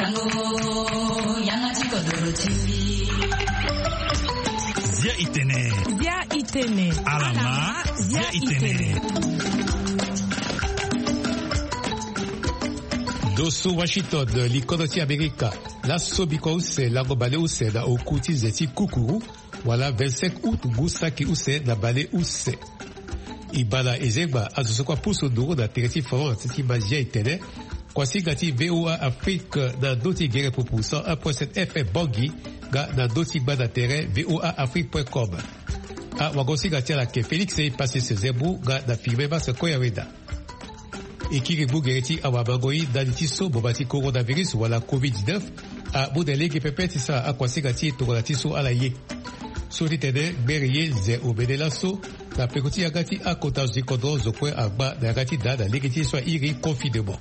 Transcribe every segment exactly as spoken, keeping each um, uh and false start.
Zia itene. Zia itene. Alama. Zia itene. Ndo so Washington, likodro ti Amerika, laso bikua use lango baleuse na oku ti ze ti kukuru, wala vingt-cinq août ngu saki use na baleuse. E baa na ezengba azo so kue apusu nduru na tere ti France ti mazia e tene kuasinga ti V O A Afrique na ndö ti gere pupu cent un point sept F M Bangui, nga na ndö ti gba na tere V O A Afrique point com. Awagosinga ti ala ayeke Félix Epasis Zembu nga na Firmin Mas Koyaweda. E kiri ngu gere ti awamango-i ndali ti so boma ti coronavirus wala covid dix-neuf amu na lege pepe ti sara akuasinga ti e tongana ti so ala ye. So ti tene ngbere ye nze omene laso na peko ti yanga ti akota zo ti kodro zo kue agba na yanga ti daa na lege ti ye so airi confinement.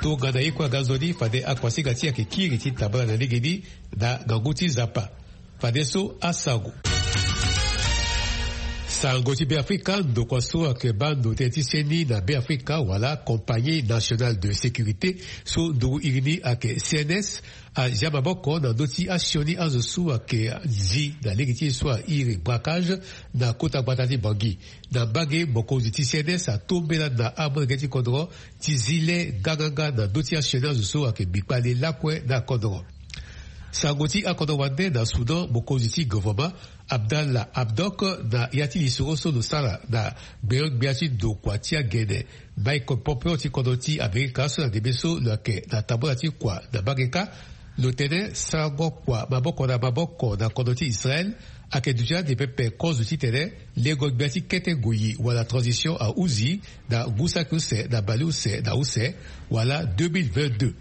Tongana ye kue aga nzoni fade akuasinga ti e ayeke kiri ti tambala na legeni na ngangu ti Nzapa. Fadeso asango. Sango ti Beafrika, ndokua so ayeke baa ndo tënë ti sioni na Beafrika wala Compagnie Nationale de Sécurité, so nduru iri ni ayeke C N S, azia maboko na ndö ti asioni azo so ayeke zi na lege ti ye so airi braquage na kota gbata ti Bangui. Na mbage, mokonzi ti C N S atombela na amolenge ti kodro ti zi le nganganga na ndö ti asioni azo so ayeke bi kpale lakue na kodro. Sango ti akodro wande na Soudan, mokonzi ti gouvernement Abdallah Hamdok, na ya ti lisoro so lo sara na gbenyo-gbia ti ndokua ti agene Mike Pompeo ti kodro ti Amerika so na ndembe so lo yeke na tambula ti kua na mbage kâ, lo tene sarango kua maboko na maboko na kodro ti Israël ayeke duti ande pepe kozo titene lengo gbia ti kete ngoi wala transition ahuzi na ngu saki use na baleuse na use wala deux mille vingt-deux.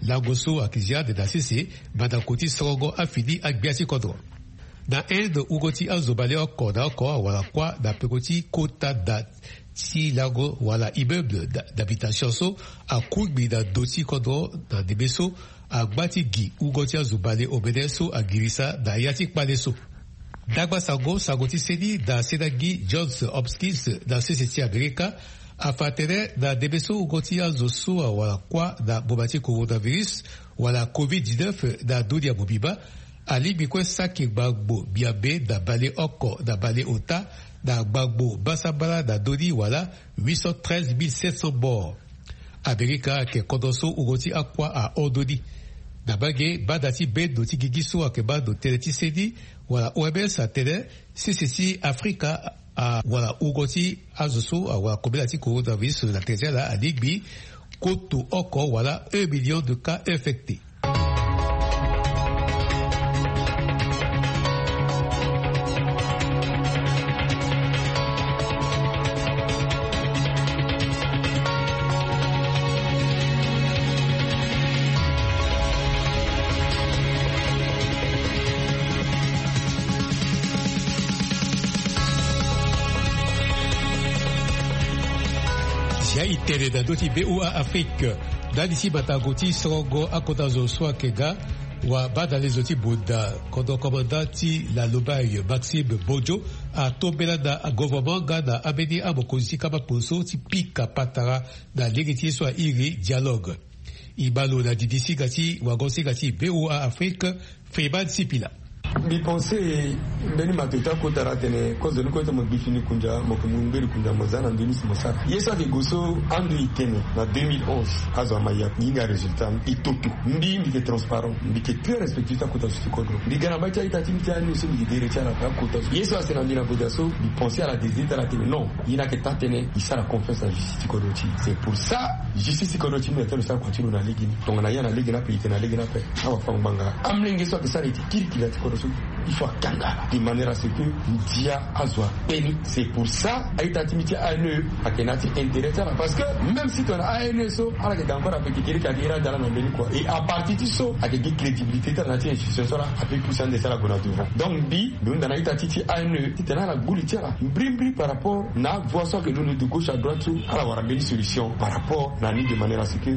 Lango so ayeke zi ande na sese mandako ti sorongo afini agbia ti kodro. Na Inde, wungo ti azo baleoko na oko awara kuâ na peko ti kota da ti lango wala immeuble d'a-, d'habitation so akungbi na ndo ti kodro na ndembe so agba ti gi wungo ti azo baleomene so agirisa na ya ti kpale so. Ndagba sango, sango ti seni na senagi Johns Hopkins na sese ti Amerika afa tene na ndembe so wungo ti azo so awara kuâ na mboma ti coronavirus wala covid dix-neuf na dunia mobimba alingbi kue saki gbagbo miambe na baleoko na baleota na gbagbo basambala na ndö ni wala huit cent treize mille sept cents morts. Amerika ayeke kodro so wungo ti akuâ ahon ndö ni. Na mbage, banda ti bendo ti gigi so ayeke baa ndo tënë ti seni wala O M S atene sese ti Afrika a, wala wungo ti azo so awara kobela ti coronavirus na tere ti ala alingbi koto oko wala un million de cas infectés. Zia e tene na ndö ti V O A Afrique. Ndali ti matango ti sorongo akota zo so ayeke ga wa banda lezo ti bonda, kodro komanda ti la Lobaye Maxime Bojo atombela na gouvernement nga na ambeni amokonzi ti kama poso ti pika patara na lege ti ye so airi dialogue. E baa lo na didi singa ti wago singa ti V O A Afrique, Freeman Sipila. Mbi pense mbeni mato ti akota laa atene kozo ni kue ti mo gbi fini kunja, mo yeke mu ngberi kunja mo za na ndö ni si mo sara. Ye so ayeke gue so ando e tene na deux mille onze, azo ama ya hinga résultat ni e toto. Mbi, mbi yeke transparent, mbi yeke très respectueux ti akota zo ti kodro. Mbi ga na mbai ti a-ita ti mbi ti A N E so mbi yeke dere ti ala na akota zo. Ye so ase na mbi na bota so mbi pense ala désider ti ala atene non, ye ni ayeke taa tënë, e sara confiance na justice ti kodro ti e. C'est pour ça justice ti kodro ti mbi atene lo sara kua ti lo na lege ni. Tongana ye na lege ni ape, e tene na lege ni ape. Awafango-ngbanga, amolenge so ayeke sara ete kirikiri na ya ti kodro so, il faut akanga de manière à ce que ndia azo akpe ni. C'est pour ça a-ita ti mbi ti A N E ayeke na ya ti intérêt ti ala. Parce que même si tongana A N E so ala yeke ga encore ape, kekereke ayeke iri adala na mbeni kua. Et à partir ti so ayeke gi crédibilité ti ala na ya ti institution so, ala ape pousse ande ti ala gue na devant. Donc mbi, mbi hunda na a-ita ti ti A N E titene ala gbu li ti ala mbrimbri par rapport na voie so ayeke londo de gauche à droite so ala wara mbeni solution par rapport na ni, de manière à ce que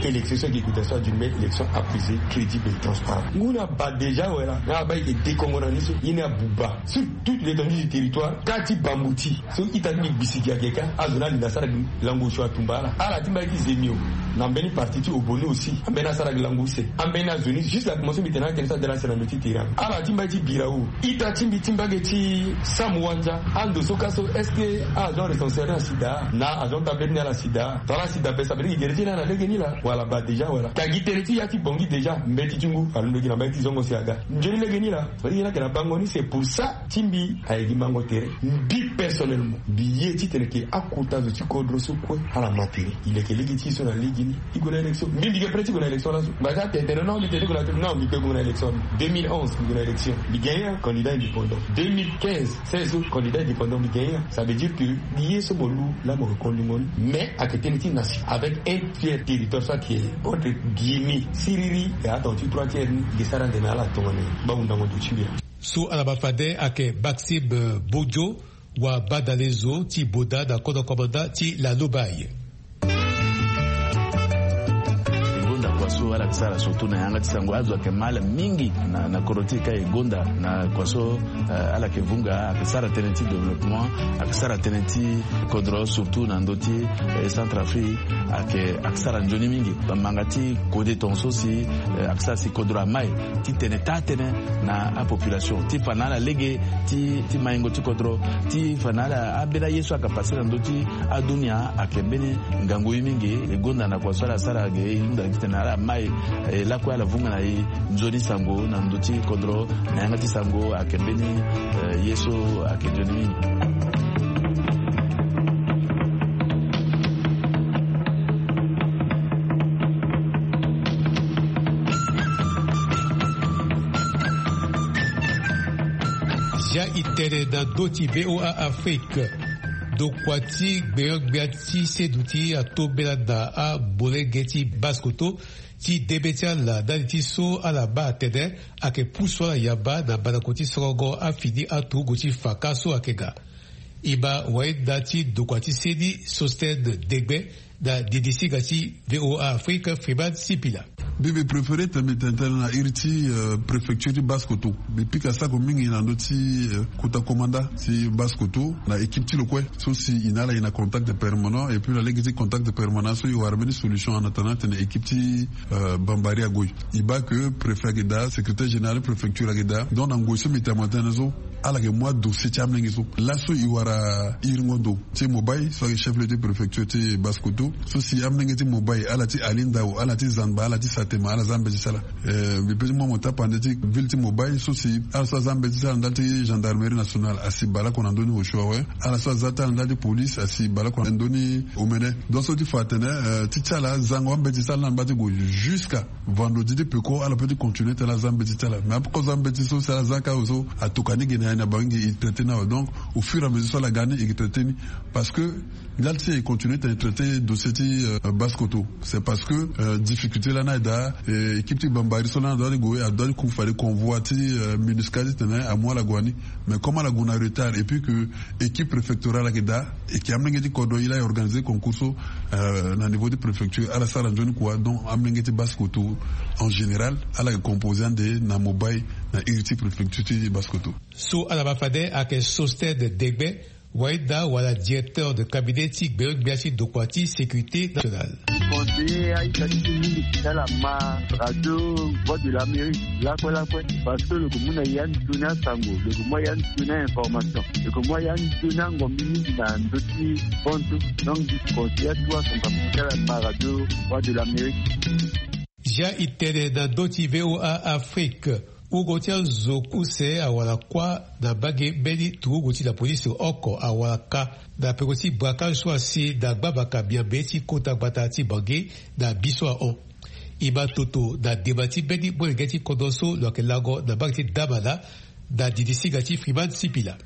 élection so ayeke gue daa so adu mbeni élection apaisée, crédible et transparente. Ngu ni abaa déjà awe laa, nga abaa e yeke dekongo Ni so ye ni abuba sur toute l'étendue du territoire, kâ ti Bambouti so ita ti mbi gbisiki ayeke kâ. Azo ni alinda asara gi lango osio atumba ala. Ala ti mbi aye ti zemio na mbeni parti ti Obono aussi, ambeni asara gi lango use. Ambeni azo ni juste la commencé mbi tene atene so adala sere na ndo ti terrain. Ala ti mbi aye ti Birao, ita ti mbi ti mbage ti Samuwanja, ando so kâ so est-ce que agent recenseur ni asi daa? Na agent ti ambeni ni ala si daa. Tara asi daa ape, ça veut dire que gere ti ye ni ala lege ni laa. Wala baa déjà wala. Ka gi tënë ti ya ti Bangui déjà, mbeti ti ngu alondo gi na mbage ti zongo si aga. Nzoni lege ni laa. Fade ye ni ayeke na bango ni, c'est pour ça ti mbi aye gi mango tere. Mbi personnellement mbi ye titene ke akota zo ti kodro so kue ala ma tere. E leke lege ti e so na lege ni e gue na élection. Mbi mbi ge prêt ti gue na élection laso. Mbi aza tene tene non, mbi tene ti gue na élection, non, mbi pe gue na élection. Deux mille onze mbi gue na élection, mbi gagné un candidat indépendant. Deux mille quinze, seize autres candidats indépendants, mbi gagné un. Ça veut dire que ye so mo lu laa mo yeke kondingo ni, mais ayeke tënë ti nation avec un tiers territoire so ayeke entre Guinée, Siriri, et atonga ti trois tiers ni. Ge sara ande na ala tongana ni. Baa hundango ndo ti mbi laa. So ala ma fade ayeke Maxime Bodio, wa badale zo ti Boda na kodro komanda ti Lalobaye. E gonda kua so ala yeke sara surtout na yanga ti sango, azo ayeke ma ala mingi na, na kodro ti e ka e gonda na kua so, eh, ala yeke vunga, ayeke sara tënë ti développement, ayeke sara tënë ti kodro surtout na ndö ti, eh, Centrafrique, ayeke, ayeke sara nzoni mingi. Bamanga ti kode tongaso si, eh, ayeke sara si kodro amai titene taa tënë na apopulation ti fa na ala lege ti, ti maingo ti kodro, ti fa na ala ambeni aye so ayeke passe na ndö ti adunia. Ayeke mbeni ngangu ye mingi. E gonda na kua so ala sara ge, e hunda titene ala mai, eh, lakue ala vunga na e nzoni sango na ndö ti kodro. Na yanga ti sango ayeke mbeni, eh, ye so ayeke nzoni mingi. Zia e tene na ndö ti V O A Afrique. Ndokua ti gbenyo-gbia ti seduti atombela na amolenge ti baskoto ti debe ti ala ndali ti so ala baa atene ayeke pusu ala yamba na mandako ti sorongo afini aturugu ti faka so ayeke ga. E ma wayenda ti ndokua ti se ni Sostène Degbe na didi singa ti V O A Afrique Freeman Sipila. Mbi mbi préféré tene mbi tene tënë na iri ti, euh, préfecture ti Basse-Kotto. Mbi pika sako mingi na ndö ti, euh, kota komanda ti Basse-Kotto na équipe ti lo kue so si e na ala e na contact permanent, et puis na lege ti contact permanent so e wara mbeni solution en attendant tene équipe ti, euh, Bambari ague. E baa que préfet ayeke daa, secrétaire général préfecture ayeke daa. Donc na ngoi so mbi tene tënë so, ala yeke mu adossier ti amolenge so. Laso e wara iringo ndo ti Mobaye so ayeke chef-lieu ti préfecture ti Basse-Kotto. So si amolenge ti Mobaye, ala ti Ali Ndao, ala ti Zanba, ala ti Satema, ala za mbeti ti ala. Eh, mbi pe ti mu mo tapande ti ville ti Mobaye so si ala so aza mbeti ti ala ndali ti gendarmerie nationale asi bale oko na ndö ni osio awe. Ala so aza ti ala ndali ti police asi bale oko na ndö ni omene. Donc so ti fa atene, eh, ti ti ala azango ambeti ti ala ni amba ti gue jusqu'à vendredi ti peko, ala pe ti continuer tene aza mbeti ti ala. Mais ape kozo ambeti so si ala za kâ so atoka ni ge na ya ni, abaa mingi e traité ni awe. Donc au fur et à mesure so ala ga ni e traité ni. Parce que ndali ti e continuer tene traité dossier ti, euh, Basse-Kotto, c'est parce que, euh, difficulté lani aye daa, eh, équipe ti Bambari so lani adoit ti gue, adoit ti ku fade convoi ti, euh, MINUSCA titene amu ala gue na ni. Mais comme ala gue na retard et puis que équipe préfectorale ayeke daa, e yeke amolenge ti kodro e laa e organiser concours so, euh, na niveau ti préfecture, ala sara nzoni kua. Donc amolenge ti Basse-Kotto en général ala yeke composer ande na Mobaye na iri ti préfecture ti Basse-Kotto. So ala ma fade ayeke Sostène Degbe, wayenda wala directeur de cabinet ti gbenyo-gbia ti ndokua ti sécurité nationale. Conseiller aita ti mingi ti ala ma radio Voix de l'Amérique lakue lakue, parce que lo yeke mu na ya nzoni asango, lo yeke mu ya nzoni ainformation, lo yeke mu ya nzoni angombi mingi na ndö ti bantu. Donc mbi conseiller atu asango ti ala ma radio Voix de l'Amérique. Zia e tene na ndö ti V O A Afrique. Wungo ti azo kuse awara kuâ na mbage mbeni turugu ti la police oko awara ka na peko ti braquage so asi na gbabaka miambe ti kota gbata ti Bangui na bi so ahon. E ma toto na dema ti mbeni molenge ti kodro so lo yeke lango na mbage ti Damana na didi singa ti Freeman Sipila.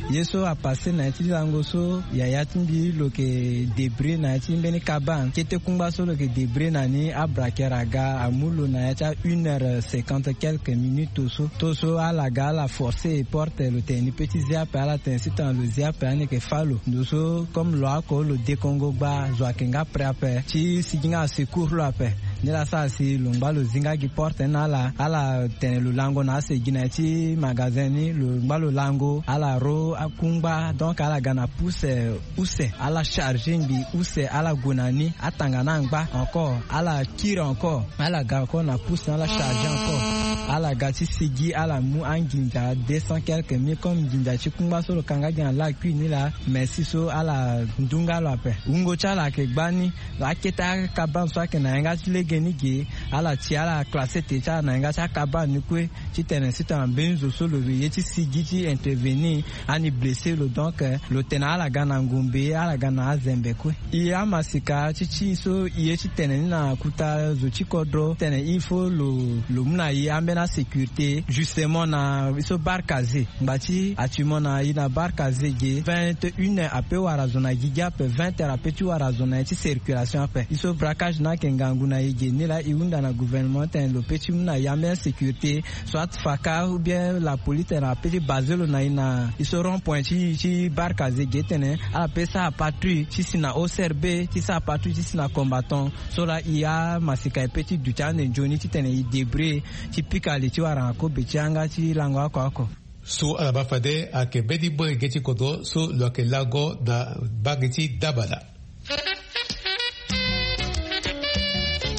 Ye so apasse na ya ti lango so, yaya ti mbi lo yeke débrouiller na ya ti mbeni kaban. Kete kungba so lo yeke débrouiller na ni, abraqueur aga amu lo na ya ti a une heure cinquante quelques minutes so. Tongana so ala ga ala forcer porte, lo tene ni peut ti zia ape, ala tene si tongana lo zia ape ani yeke fâ lo. Ndo so comme lo oko lo dekongo gba, zo ayeke nga prêt ape ti sigi nga asecours lo ape. Ni la sara si lo ngba lo zi nga gi porte ni na ala ala tene lo lango na ase gi na ya ti magasin ni lo ngba lo lango ala ro akungba donc ala ga na puse use ala charge ngbi use ala gue na ni atanga na angba encore ala kiri encore ala ga encore na puse ni ala charge encore ala ga ti sigi ala mu anginza deux cent quelque mille comme nginza ti kungba so lo kanga gi na lakui ni la mais si so ala ndu nga lo ape wungo ti ala ayeke gba ni. Akete akabane so ayeke na yanga ti lege ni ge ala ti ala classe te ti ala na yanga ti akabane ni kue titene si tongana mbeni zo so lo ye ti sigi ti intervenir ani blessé lo donc lo tene ala ga na ngombe ala ga na azembe kue. E amasika ti ti so e ye titene ni na kuta zo ti kodro titene il faut lo lo mu na e ambeni asécurité justement na e so barkaze ngba ti actuellement na e na barkaze ge vingt et une heures ape wara zo na gigi ape vingt heures ape ti wara zo na e ti circulation ape e so braquage ni ayeke ngangu na e ge ni laa e hunda na gouvernement titene lo pe ti mu na e ambeni asécurité soit faka ou bien la police tene ape ti baze lo na e na e so rond point ti ti barkaze ge titene ala pe sara patrouille ti si na ocrb ti sara patrouille ti si na combattant so laa e amasika e pe ti duti ande nzoni titene e débrouiller ti pika li ti wara na kobe ti yanga ti lango oko oko. So ala baa fade ayeke mbeni bore ge ti kodro so lo yeke lango na mbage ti dabala.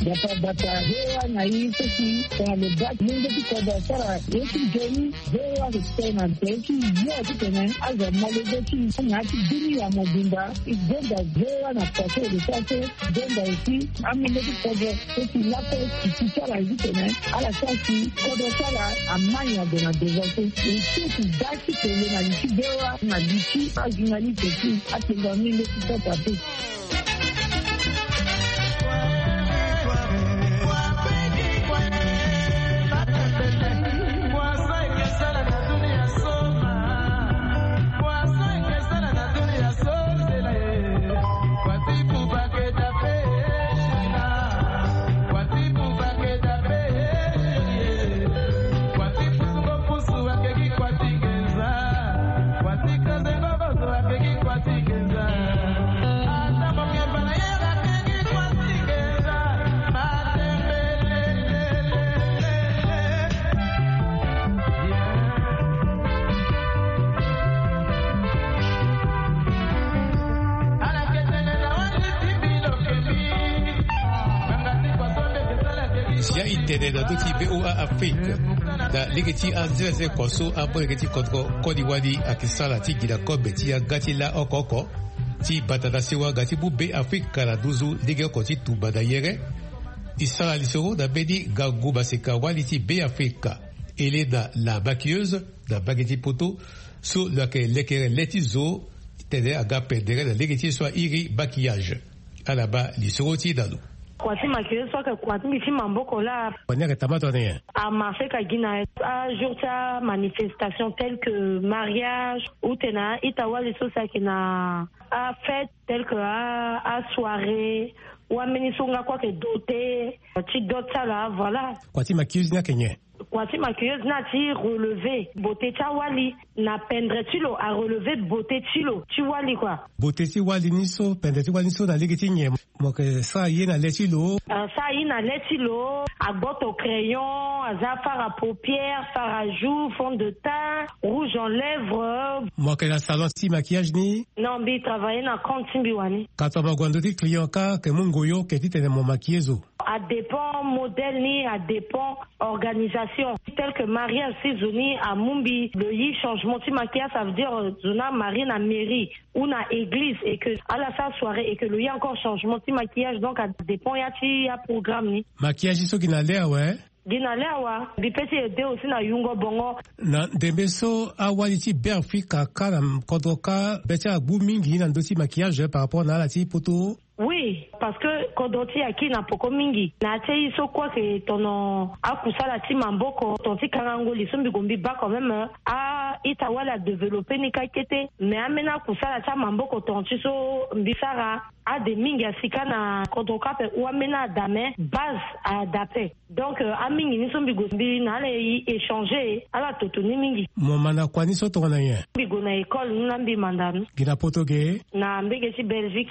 Bata bata hewa na i seki tongana lo baa mungo ti kodro asara ye ti nzoni. Hewa lo tene na nte ti yo titene azo amolenge ti na ya ti bini ya mobimba. E gonda hewa na pase lo sara so gonda aussi amolenge ti kodro so si lakue ti ti ti ala ye titene ala sara si kodro ti ala amai ague na devant so. E so si da ti tene na li ti hewa na li ti ajournaliste ti atene amolenge ti kota te. Ya e tene na ndö ti voa afrique na lege ti anzereze kua so amolenge ti kodro koli wali ayeke sara ti gi na kobe ti yanga ti la oko oko ti bata na sewa nga ti mu be afrika na nduzu lege oko ti tumba na yere. E sara lisoro na mbeni ngangu maseka wali ti be afrika, helena la maquilleuse na mbage ti poto so lo yeke lekere le ti zo titene aga pendere na lege ti ye so airi maquillage. Ala baa lisoro ti e na lo. Kua ti maquilleuse so ayeke kua ti mbi ti maboko laa. Kua ni ayeke taa ma tongana nyen? Amarché ka gi na ajour ti amanifestation tel que mariage ou tena a-ita wali so si ayeke na afête tel que asoirée. Wambeni so nga kue ayeke doté ti dot ti ala voilà. Kua ti maquilleuse ni ayeke nyen? Kua ti maquilleuse ni ati relever beauté ti awali na pendre ti lo arelever beauté ti lo ti wali kua. Beauté ti wali ni so pendre ti wali ni so na lege ti nyen? Mo yeke sara ye na le ti lo. Asara ye na le ti lo. Agboto crayon, aza fara paupière, fara joue, fond de teint, rouge en lèvres. Mo yeke na salon ti maquillage ni? Non, mbi travailler na compte ti mbi wani. Ka tongana mo gue na ndö ti client ka yeke mu ngoyo yeke titene mo maquiller zo? Adépend modèle ni, adépend organisation. Tel que mariage si zo ni amu mbi lo yi changement ti maquillage, ça veut dire zo ni amarie na mairie ou na église et que ala sara soirée et que lo yi encore changement ti maquillage, donc adépend ya ti aprogramme ni. Maquillage ni so gi na le awe? Gi na le awa. Mbi pe ti aide aussi na yungo bongo. Na ndembe so awali ti be afrika ka na kodro ka be ti ala gbu mingi na ndö ti maquillage par rapport na ala ti poto? Oui, parce que kodro ti e aki na poko mingi na ya ti aye so kue ayeke tono akusala ti maboko ton ti kangango li so mbi gue mbi baa quand même. A-ita wali adéveloppé ni kâ kete. Mais ambeni akusala ti amaboko ton ti so mbi sara ade mingi asi kâ na kodro kâ ape ou ambeni ada mais base ada ape. Donc amingi ni so mbi gue mbi na ala e échanger ala toto ni mingi. Mo manda kua ni so tongana nyen? Mbi gue na école ni na mbi manda ni. Gi na poto ge? Na mbege ti belgique.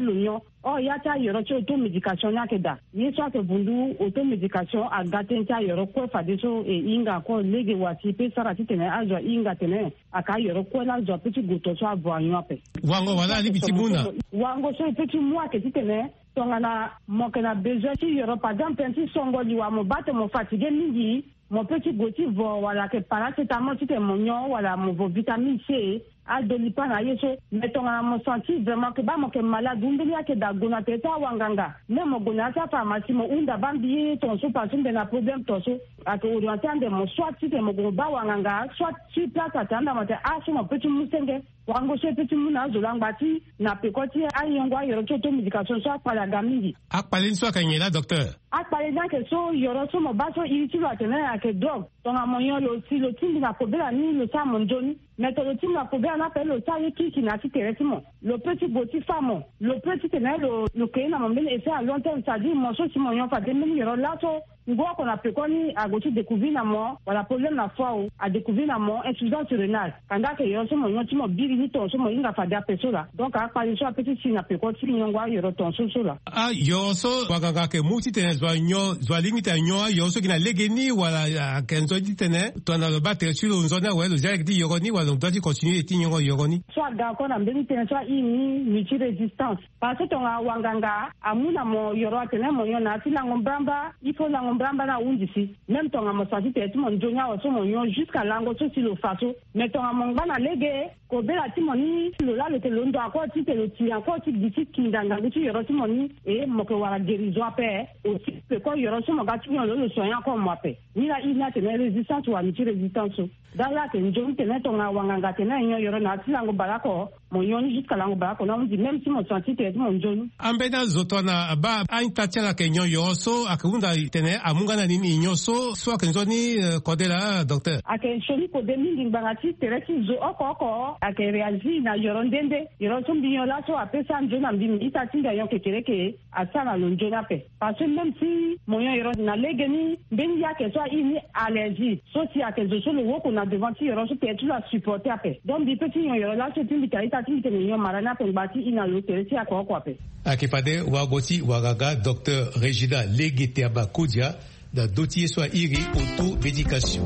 ti lo nyon. Or ya ti ayoro ti auto médication ni ayeke daa. Ye so ayeke vundu auto médication aga tënë ti ayoro kue fadeso e hinga encore lege wa si e pe sara titene azo ahinga atene ayeke ayoro kue laa azo ape ti gue to so avo anyon ape. Wango wala alingbi ti mu na. Wango so e pe ti mu ayeke titene tongana mo yeke na besoin ti yoro par exemple tënë ti songo liwa mo baa tene mo fatigué mingi, mo pe ti gue ti vo wala ayeke paracétamol titene mo nyon wala mo vo vitamine C, adolipa na ye so. Mais tongana mo senti vraiment ke baa mo yeke malade ou mbeni ayeke daa gue na tere ti awanganga, même mo gue na ya ti apharmacie mo hunda baa mbi ye tongaso parce que mbi na problème tongaso. Ayeke orienté ande mo soit titene mo gue mo baa wanganga soit sur place atene anda mo atene ah so mo pe ti mu senge. Wango so e pe ti mu na azo langba ti na peko ti ayengo ayoro ti auto médication so akpale aga mingi. Akpale ni so ayeke nyen laa docteur? Akpale ni ayeke so yoro so mo baa so iri ti lo atene ayeke drogue. Tongana mo nyon lo si lo tingbi na kobela ni lo sara mo nzoni. Mais tongana lo tingbi na kobela ni ape lo sara ye kirikiri na ya ti tere ti mo. Lo pe ti gue ti fa mo. Lo pe titene lo lo kei na mo mbeni effet à long terme c'est à dire mo so si mo nyon fade mbeni yoro laso. Ngu oko na pekoni ague ti découvrir na mo wala problème na foie o, adécouvrir na mo insuffisance urinaire. Kanda ayeke yoro so mo nyon ti mo biri ni tongaso mo hinga fade ape so laa. Donc akpale so ape ti si na peko ti nyongo ayoro tongaso so laa. Ayoro so wanganga ayeke mu titene zo anyon zo alingbi ti anyon ayoro so gi na legeni wala ayeke nzoni titene tongana lo baa tere ti lo nzoni awe lo zia lege ti yoro ni wala lo doit ti continuer ti nyongo yoro ni? So aga encore na mbeni tënë so airi ni multirésistance. Parce que tongana wanganga amu na mo yoro atene mo nyon na ya ti lango mbrambra, il faut lango mbrambra ni ahunzi si. Même tongana mo senti tere ti mo nzoni awe so mo nyon jusqu'à lango so si lo fa so. Mais tongana mo ngba na lege kobela ti mo ni lo laa lo yeke londo encore titene lo ti encore ti gi ti kinda ngangu ti yoro ti mo ni. E mo yeke wara guérison ape. Aussi peko yoro so mo ga ti nyon lo lo soigner encore mo ape. Ni laa iri ni atene résistance wala multirésistance so. Dala ayeke nzoni tene tongana wanganga atene nyon yoro na ya ti lango baleoko. Mo nyon ni jusqu'à lango baleoko ni ahunzi même si mo senti tere ti mo nzoni. Ambeni azo tongana abaa a-ita ti ala ayeke nyon yoro so ayeke hunda tene amu nga na nini nyon so so ayeke nzoni? Kode laa docteur. Ayeke sioni kode mingi ngbanga ti tere ti zo oko oko ayeke réagir na yoro nde nde. Yoro so mbi nyon laso ape sara nzoni na mbi mbi ita ti mbi anyon kekereke. Asara na lo nzoni ape. Parce que même si mo nyon yoro na legeni mbeni ye ayeke so airi ni allergie so si ayeke zo so lo woko na devant ti yoro so tere ti lo asupporter ape. Donc mbi pe ti nyon yoro laso ti mbi tara ita. Ti tene nyon mara ni ape ngba ti ina lo tere ti ako oko ape. Ayeke fade wago ti wanganga docteur Régina Lege Teama Kodia na ndö ti ye so a iri auto médication.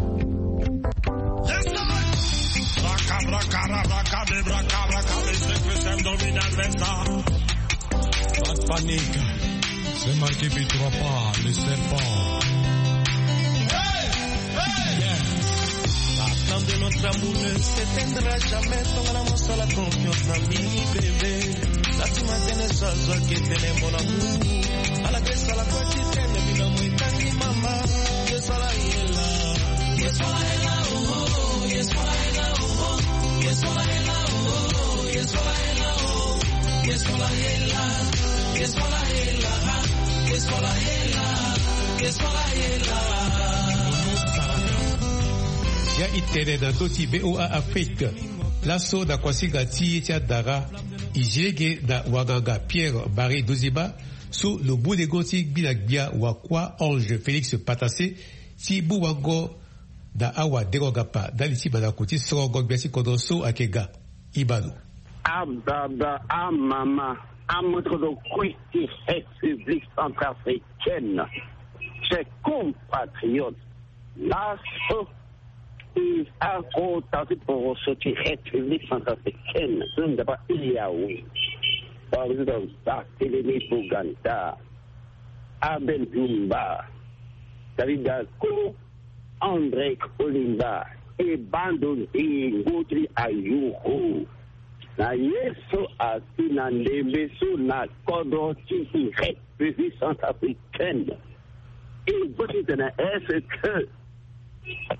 Pas de panique. C'est marqué victoire pas le serpent. La flamme de notre amour ne s'éteindra jamais. Tongana mosala confiance na mini bébé. Nati matene so azwaki etene mon amour. Ala ke sala kua ti tene bino mo etangi mama. Ye sala ye la. Ye sala ye la, oh, oh, ye sala ye la, oh, oh. Ye sala ye la, oh, oh, ye sala ye la, oh, oh. Ye sala ye la. Ye sala ye la, ah. Ye sala ye la. Ye sala ye la. Ya e tene na ndö ti V O A Afrique. Laso na kuasinga ti ye ti andara, e zi lege na wanganga Pierre Marie Duziba, so lo mu lengo ti gbi na gbia wakua Ange Félix Patassé, ti mu wango na awadengo-ngapa ndali ti mandako ti sorongo gbia ti kodro so ayeke ga. Ibalo. Ababa, amama, amoto kodro kue ti République centrafricaine. Chers compatriotes, laso e akota ti poroso ti République centrafricaine so nzapa e awe. Président Barthélemy Boganda, Abel Dumba, David Daco, André Kolimba, e bando nzingo ti ayuru na ye so asi na ndembe so na kodro ti République centrafricaine. E zo ti tene est-ce que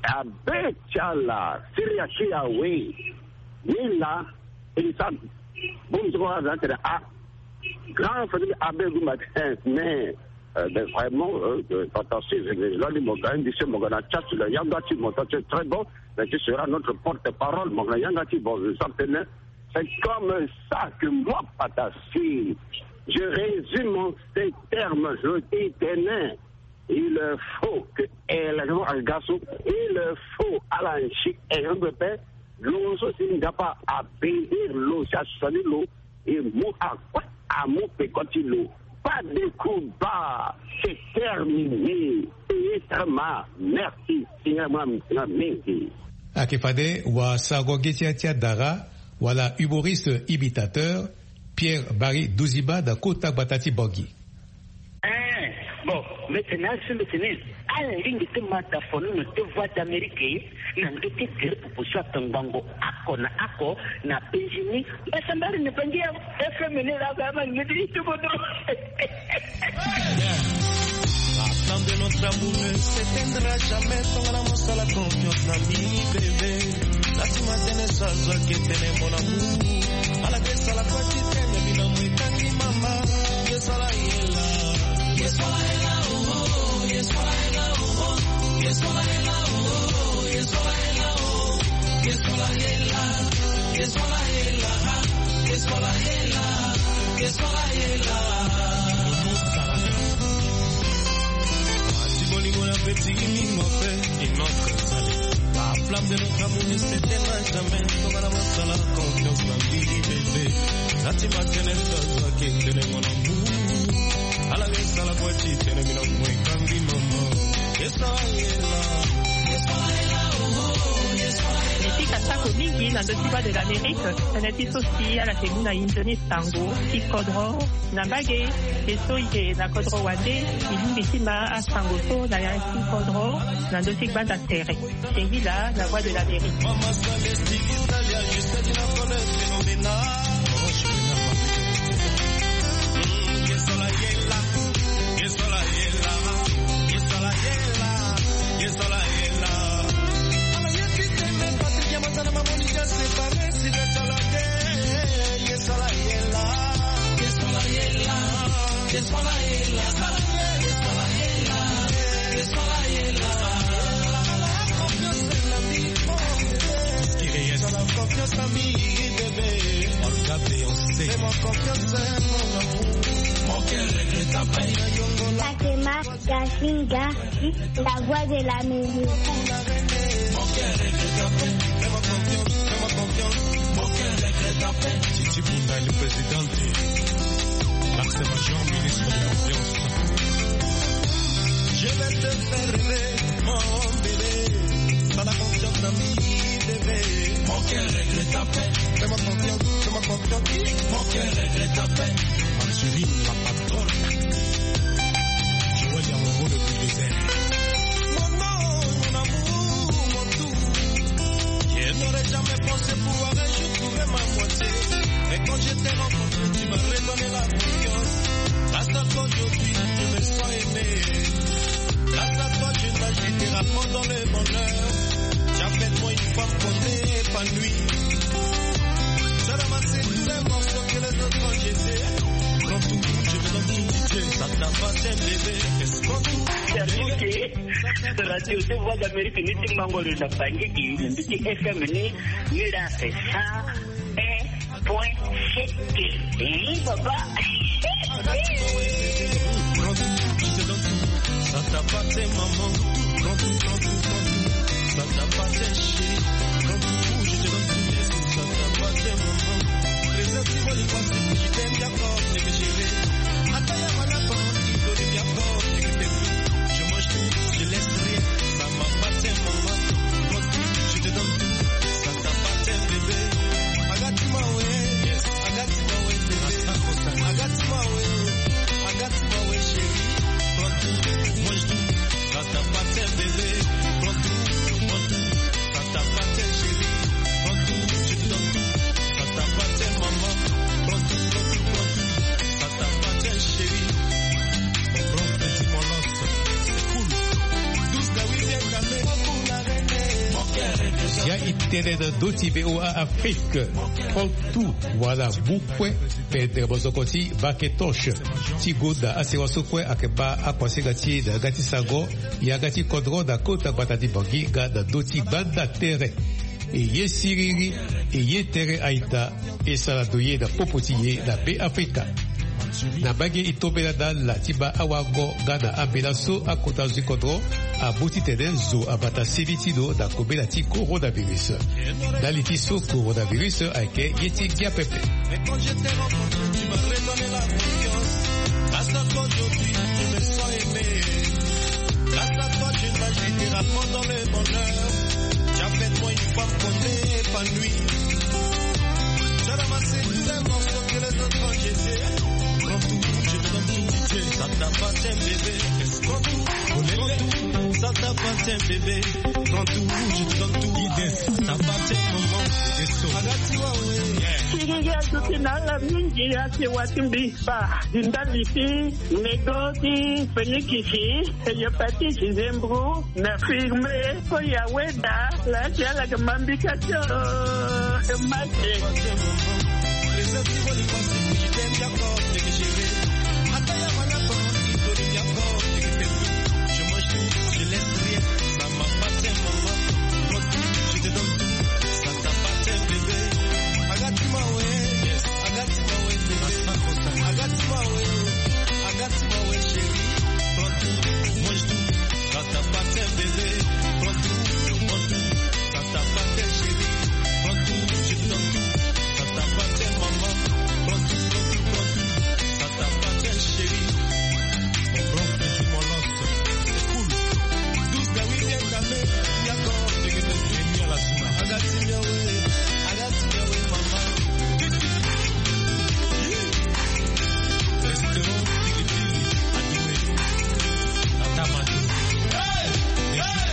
abe ti ala Syria ti awe ni la e sa bongbi ti kua aza tene a grand famille abe gumba ti mais euh, mais vraiment euh, euh, fantastique. Lani mo ga indi se mo ga na chat la yanga ti mo ta c'est très bon. Mais tu seras notre porte-parole, mon yanga ti bon, je sens tene. C'est comme ça que moi, Patassé, je résume en ces termes, je dis tene. Il faut que élection agaso, il faut alanchi élection pepe. Lo so si nzapa abénir lo si asali lo e mu akue amu peko ti lo. Pas de combat, c'est terminé. Payé très mal. Merci Seigneur, moi mingi. Ayeke fade wasango ge ti ya ti adara wala humoriste imitateur Pierre Marie Duziba na kota gbata ti Bangui. Eh, bon, maintenant, c'est le tennis. Ala lingbi ti ma dafo ni na te Voix d'Amérique na ndö ti gere pupu so atongbango oko na oko na Benjini. Mbasambari na bangi ya F M ni la ba ma ngedi ti bodo. La flamme de notre amour ne s'éteindra jamais. Tongana mosala confiance na mini bébé. Nati matene so azwaki etene mon amour. Ala ke sala kua ti tene bino mo etangi mama. Ye sala ye la. Ye sala ye la, oh, oh, ye sala ye la, oh, oh. Ye sala ye la, oh, oh, ye sala ye la, oh, oh. Ye sala ye la. Ye sala ye la, ah. Ye sala ye la. Ye sala ye la. Ati bolingo na peti ni mo fe. La flamme de notre amour ne s'éteindra jamais. Tongana mosala confiance na mini bébé. Nati matene so azwaki etene mon amour. Ala ke sala kua ti tene bino mo etangi mama. Ye sala ye la. Ye sala ye la, oh, oh, ye sala ye la. Ni ti kasako mingi na ndö ti Voix de l'Amérique. Tënë ti so si ala yeke mu na e nzoni sango ti kodro. Na mbage, e so e yeke na kodro wande, e lingbi ti ma asango so na ya ti kodro na ndö ti gbanda tere. Singila na Voix de l'Amérique. Fatima Gasinga, la voix de l'Amérique. Titi Bunda, le président de Max Major, ministre de l'Ambiance. Je vais te faire rêver, mon bébé. T'as la confiance dans lui, bébé. Mon cœur regrette ta peine. Fais-moi confiance, fais-moi confiance. Mon cœur regrette ta peine. Angeline, la patronne. Joël Yamongo, le bulldozer. Mon nom, mon amour, mon tout. Je n'aurais jamais pensé pouvoir un jour trouver ma moitié. Mais quand je t'ai rencontré, tu m'as redonné la confiance. Grâce à toi, aujourd'hui, je me sens aimé. Grâce à toi, je nage littéralement dans le bonheur. Tu as fait de moi une femme qu'on épanouie. Seule à ma ceinture, un morceau que les autres ont jeté. Prends tout, je te donne tout, Dieu, ça t'appartient, bébé. Prends tout. Serge Kiri, Radio de Voix d'Amérique, ni ti Mangoro na Bangui, ni ti F M ni, ni la c'est ça. Un point sept. Oui, papa. Prends tout, je te donne tout. Ça t'appartient, maman. Prends tout, prends tout, prends tout. Ça t'appartient, chérie. Prends tout, je te donne tout. Ça t'appartient, maman. Préserve-moi les pensées, je t'aime, d'accord, je vais gérer. Attends, y a pas la parole, il faut le bien fort, je vais faire tout. Je mange tout, je laisse rien. Ça m'appartient, maman. Prends tout, je te donne tout. Ça t'appartient, bébé. Agatima we. Agatima we, bébé. Agatima we. Agatima we, chérie. Prends tout, mange tout. Ça t'appartient, bébé. Prends tout, prends tout. Ça t'appartient, chérie. Prends tout, je te donne tout. Ça t'appartient, maman. Prends tout, prends tout, prends tout. Ça t'appartient, chérie. Mon grand petit, mon lance. C'est cool. Douce, la oui, bien calmé. Ya i tene na ndö ti V O A Afrique. Prends tout, voilà, bu kue. Pendre bozoko ti Bake Tosh ti gonda asewa so kue ayeke baa akuasinga ti e na yanga ti sango, yanga ti kodro na kota gbata ti Bangui nga na ndö ti banda tere. E ye siriri, e ye tere aita, e sara ndo ye na popo ti e na Beafrika. Na mbage e tombela na ala ti baa awango nga na ambela so akota zo ti kodro amu titene zo abata seni ti lo na kobela ti coronavirus. Ndali ti so coronavirus ayeke ye ti ngia pepe. Mais quand je t'ai rencontré, tu m'as redonné la confiance. Grâce à toi, aujourd'hui, je me sens aimé. Grâce à toi, je nage littéralement dans le bonheur. Tu as fait de moi une femme qu'on épanouie. Tu as ramassé tous les morceaux que les autres ont jetés. Prends tout, je te donne tout, Dieu, ça t'appartient, bébé. Prends tout, prends tout, ça t'appartient, bébé. Prends tout, je te donne tout. Ça t'appartient, maman. Agatima we. Siriri azo ti na ala mingi ake wa ti mbi. Ba di ndali ti nego ti fenikisi, hépatite, zembro, na firme, ko ya weda, la ti ala ke mambika ti o, e mate. Je mange tout, je laisse rien. Ça m'appartient, maman. Prends tout, je te donne tout. Ça t'appartient, bébé. Agatima we. Agatima we, bébé. Agatima we. Agatima we, chérie. Prends tout, mange tout. Ça t'appartient, bébé. Prends tout, prends tout. Ça t'appartient, chérie. Prends tout, je te donne tout. Ça t'appartient, maman. Prends tout, prends tout, prends tout. Ça t'appartient, chérie. Mon grand petit, mon lance. C'est cool. Douce, la oui, bien calmé. Yako, dege, dege, dege, la zuma. Agatima we, agatima we, maman. Restaurant Tigitigi, Adoué. Tata Matou. Hey! Hey!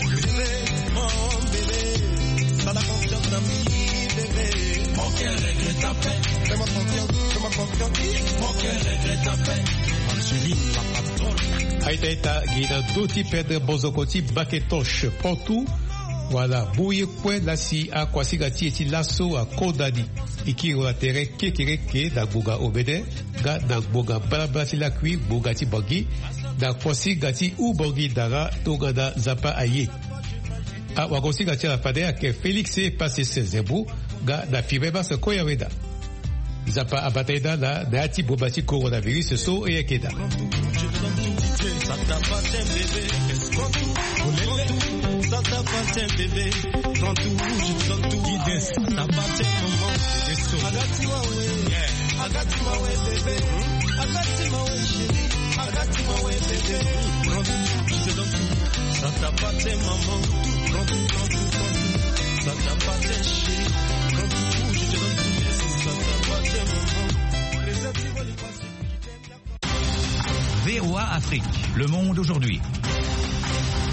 Bébé, mon bébé, t'as la confiance dans moi, bébé. Mon cœur regrette ta peine. Fais-moi confiance, fais-moi confiance. Mon cœur regrette ta peine. Angeline, la patronne. Aita, aita, gi na ndö ti pendre bozoko ti Bake Tosh, Pantou. Voilà, bu ye kue la si akuasinga ti e ti laso akonda ni. E kiri lo na tere kekereke na ngbonga omene, nga na ngbonga mbalambala ti lakui, ngbonga ti Bangui, na kuasinga ti Houphouët-Boigny-Dara, tongana Nzapa aye. Awagosinga ti ala fade ayeke Félix Passé Zembou, nga na Fibre Basse Koyaweda. Nzapa abata e na ala na ya ti boma ti coronavirus so e yeke daa. Ça t'appartient, bébé. Prends tout, prends tout. Ça t'appartient. Bébé, prends tout, je te donne tout. Guidance, t'appartiens, maman. Agathe Mawe, Agathe Mawe, bébé. Agathe Mawe, chérie. Agathe Mawe, bébé. Prends tout, je te donne tout. Ça t'appartient, maman. Prends tout, prends tout, prends tout. Ça t'appartient, chérie. Prends tout, je te donne tout. Ça t'appartient, maman. Réserve tes valises. V O A Afrique, le monde aujourd'hui.